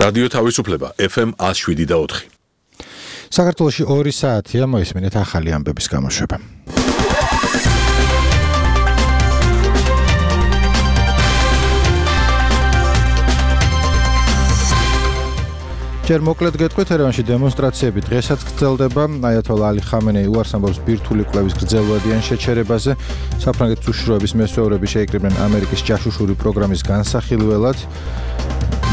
რადიო თავისუფლება FM 107.4. საქართველოში 2 საათია, მოისმინეთ ახალი ამბების გამოშვება. ჯერ მოკლედ გეტყვით, ერევანში დემონსტრაციები დღესაც გრძელდება. აიათოლა ალი ხამენეი უარს ამბობს ბირთვული კვლევის გრძელვადიან შეჩერებაზე. საფრანგეთის უშიშროების მესვეურები შეიკრიბნენ ამერიკის ჯაშუშური პროგრამის განსახილველად.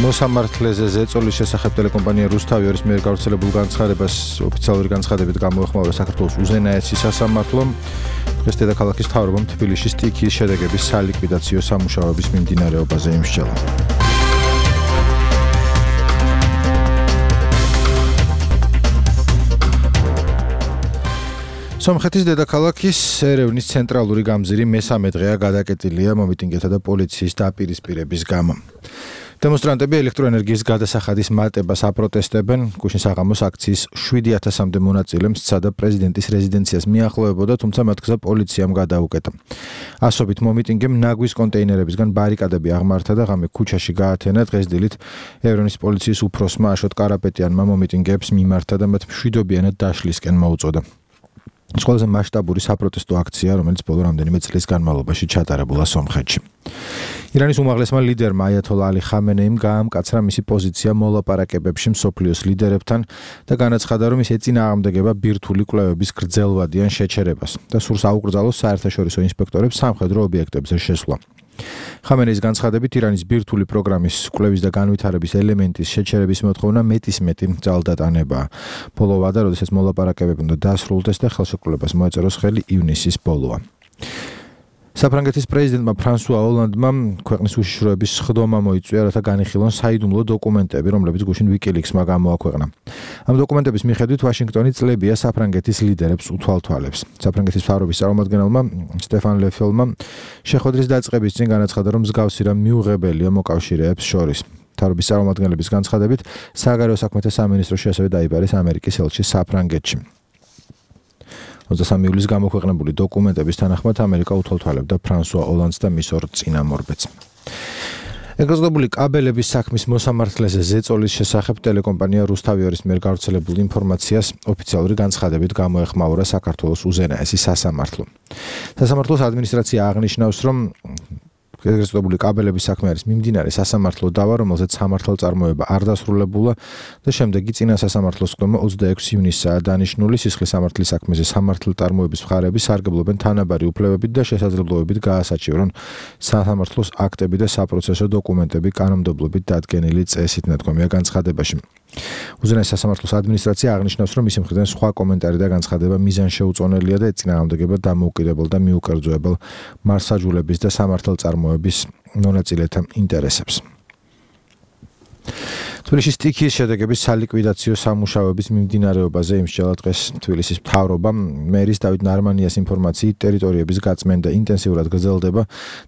მოსამართლეზე ზეწოლის შესახებ ტელეკომპანია რუსთავიორის მიერ გავრცელებულ განცხადებას ოფიციალური განცხადებით გამოეხმაურა საქართველოს უზენაესი სასამართლო. დღეს დედაქალაქის მთავრობამ თბილისში სტიქიის შედეგების სალიკვიდაციო სამუშაოების მიმდინარეობაზე იმსჯელა. სომხეთის დედაქალაქის ერევნის ცენტრალური გამზირი მესამე დღეა გადაკეტილია მომიტინგეთა და პოლიციის დაპირისპირების გამო. დემონსტრანტები ელექტროენერგიის გადასახადის მატებას აპროტესტებენ. გუშინ საღამოს აქციის 7000-მდე მონაწილემ სცადა პრეზიდენტის რეზიდენციას მიახლოებოდა, თუმცა მათ გზა პოლიციამ გადაუკეტა. ასობით მომიტინგემ ნაგვის კონტეინერებისგან ბარიკადები აღმართა და ღამე ქუჩაში გაათენა. დღეს დილით ერევნის პოლიციის უფროსმა აშოტ კარაპეტიანმა მომიტინგეებს მიმართა და მათ მშვიდობიანად დაშლისკენ მოუწოდა. ეს ყველაზე მასშტაბური საპროტესტო აქცია, რომელიც ბოლო რამდენიმე წლის განმავლობაში ჩატარებულა სომხეთში. ირანის უმაღლესმა ლიდერმა აიათოლა ალი ხამენეიმ გაამკაცრა მისი პოზიცია მოლაპარაკებებში მსოფლიოს ლიდერებთან და განაცხადა, რომ ის ეწინააღმდეგება ბირთვული კვლევების გრძელვადიან შეჩერებას და სურს აუკრძალოს საერთაშორისო ინსპექტორებს სამხედრო ობიექტებზე შესვლა. ხამენეის განცხადებით ირანის ბირთვული პროგრამის კვლევის და განვითარების ელემენტის შეჩერების მოთხოვნა მეტისმეტი ძალდატანებაა. ბოლო ვადა, როდესაც მოლაპარაკებები უნდა დასრულდეს და ხელშეკრულებას მოეწეროს ხელი ივნისის ბოლოა. საფრანგეთის პრეზიდენტმა ფრანსუა ოლანდმა ქვეყნის უშიშროების სხდომა მოიწვია, რათა განიხილონ საიდუმლო დოკუმენტები, რომლებიც გუშინ ვიკილიქსმა გამოაქვეყნა. ამ დოკუმენტების მიხედვით ვაშინგტონი წლებია საფრანგეთის ლიდერებს უთვალთვალებს. საფრანგეთის მთავრობის წარმომადგენელმა სტეფან ლეფელმა შეხვედრის დაწყების წინ განაცხადა, რომ მსგავსი რამ მიუღებელია მოკავშირეებს შორის. მთავრობის წარმომადგენლების განცხადებით, საგარეო საქმეთა სამინისტროში ასევე დაიბარეს ამერიკის ელჩი საფრანგეთში. 23 ივლისს გამოქვეყნებული დოკუმენტების თანახმად ამერიკა უთვალთვალებდა ფრანსუა ოლანდს და მის ორ წინამორბედს. ეგრეზდებული კაბელების საქმის მოსამართლეზე ზეწოლის შესახებ ტელეკომპანია რუსთავიორის მიერ გავრცელებულ ინფორმაციას ოფიციალური განცხადებით გამოეხმაურა საქართველოს უზენაესი სასამართლო. სასამართლოს ადმინისტრაცია აღნიშნავს, რომ ეგრეზდებული კაბელების საქმე არის მიმდინარე სასამართლო დავა, რომელზეც სამართალწარმოება არ დასრულებულა და შემდეგი წინა სასამართლოს სხდომა 26 ივნისაა დანიშნული. სისხლის სამართლის საქმეზე სამართალწარმოების მხარეები სარგებლობენ თანაბარი უფლებებით და შესაძლებლობებით გაასაჩივრონ სასამართლოს აქტები და საპროცესო დოკუმენტები კანონმდებლობით დადგენილი წესით, ნათქვამია განცხადებაში. უზენაეს სასამართლოს ადმინისტრაცია აღნიშნავს, რომ მისი მხრიდან სხვა კომენტარი და განცხადება მიზანშეუწონელია და ეწინააღმდეგება დამოუკიდებელ და მიუკერძოებელ მარსაჯულების და სამართალწარმოების მონაწილეთა ინტერესებს. თბილისის სტიქიის შედეგების სალიკვიდაციო სამუშაოების მიმდინარეობაზე იმსჯელა დღეს თბილისის მთავრობა. მერის დავით ნარმანიას ინფორმაციით ტერიტორიების გაწმენდა ინტენსიურად გრძელდება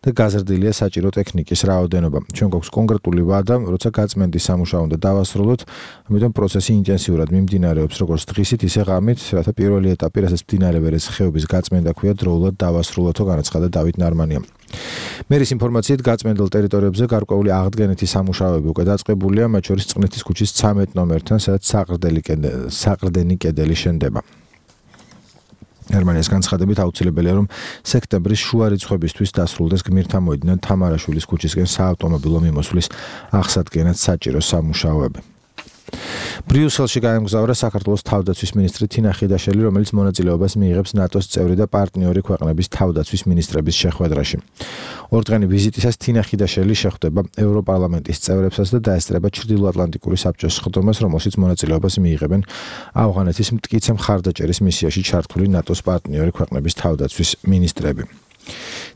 და გაზრდილია საჭირო ტექნიკის რაოდენობა. ჩვენ გვაქვს კონკრეტული ვადა, როცა გაწმენდის სამუშაო უნდა დავასრულოთ, ამიტომ პროცესი ინტენსიურად მიმდინარეობს როგორც დღისით, ისე ღამით, რათა პირველი ეტაპი, რასაც მდინარე ვერეს ხეობის გაწმენდა ქვია, დროულად დავასრულოთო, განაცხადა დავით ნარმანიამ. მერის ინფორმაციით გაწმენდელ ტერიტორიებზე გარკვეული აღდგენითი სამუშაოები უკვე დაწყებულია, მათ შორის წყნეთის ქუჩის 13 ნომერთან, სადაც საყრდენი კედელი შენდება. ნარმანიას განცხადებით აუცილებელია, რომ სექტემბრის შუა რიცხვებისთვის დასრულდეს გმირთა მოედნიდან თამარაშვილის ქუჩისკენ საავტომობილო მიმოსვლის აღსადგენად საჭირო სამუშაოები. ბრიუსელში გაემგზავრა საქართველოს თავდაცვის მინისტრი თინა ხიდაშელი, რომელიც მონაწილეობას მიიღებს ნატოს წევრი და პარტნიორი ქვეყნების თავდაცვის მინისტრების შეხვედრაში. ორდღიანი ვიზიტისას თინა ხიდაშელი შეხვდება ევროპარლამენტის წევრებსაც და დაესწრება ჩრდილოატლანტიკური საბჭოს სხდომას, რომელშიც მონაწილეობას მიიღებენ ავღანეთის მტკიცე მხარდაჭერის მისიაში ჩართული ნატოს პარტნიორი ქვეყნების თავდაცვის მინისტრები.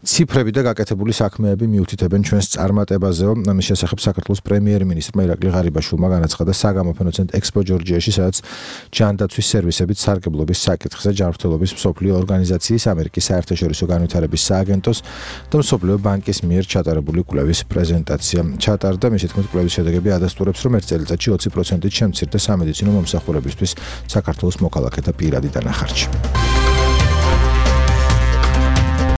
ციფრები და გაკეთებული საქმეები მიუთითებენ ჩვენს წარმატებაზეო. ამის შესახებ საქართველოს პრემიერ-მინისტრმა ირაკლი ღარიბაშვილმა განაცხადა საგამოფენო ცენტრ ექსპო ჯორჯიაში, სადაც ჯანდაცვის სერვისებით სარგებლობის საკითხზე ჯანმრთელობის მსოფლიო ორგანიზაციის, ამერიკის საერთაშორისო განვითარების სააგენტოს და მსოფლიო ბანკის მიერ ჩატარებული კვლევის პრეზენტაცია ჩატარდა. მისი თქმით, კვლევის შედეგები ადასტურებს, რომ ერთ წელიწადში 20%-ით შემცირდა სამედიცინო მომსახურებისთვის საქართველოს მოქალაქეთა პირადი დანახარჯი.